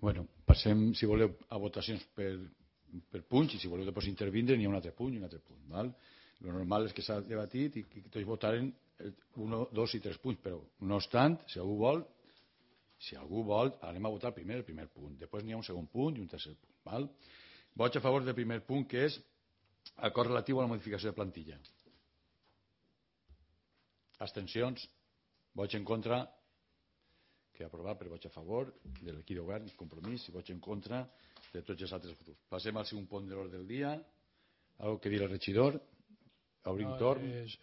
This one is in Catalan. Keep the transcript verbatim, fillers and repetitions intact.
Bueno, passem, si voleu, a votacions per, per punts, i si voleu després intervindre n'hi ha un altre punt i un altre punt. Val? Lo normal és que s'ha debatit i que tots votaren un, dos i tres punts, però no obstant, si algú vol, si algú vol, anem a votar primer el primer punt. Després n'hi ha un segon punt i un tercer punt. Val? Vots a favor del primer punt, que és acord relatiu a la modificació de plantilla. Abstencions? Vots en contra? Que aprovat per vots a favor de l'equip de govern, compromís, i vots en contra de tots els altres grups. Passem al segon punt de l'ordre del dia. Algo que dir el regidor? Obrim no, torn. És,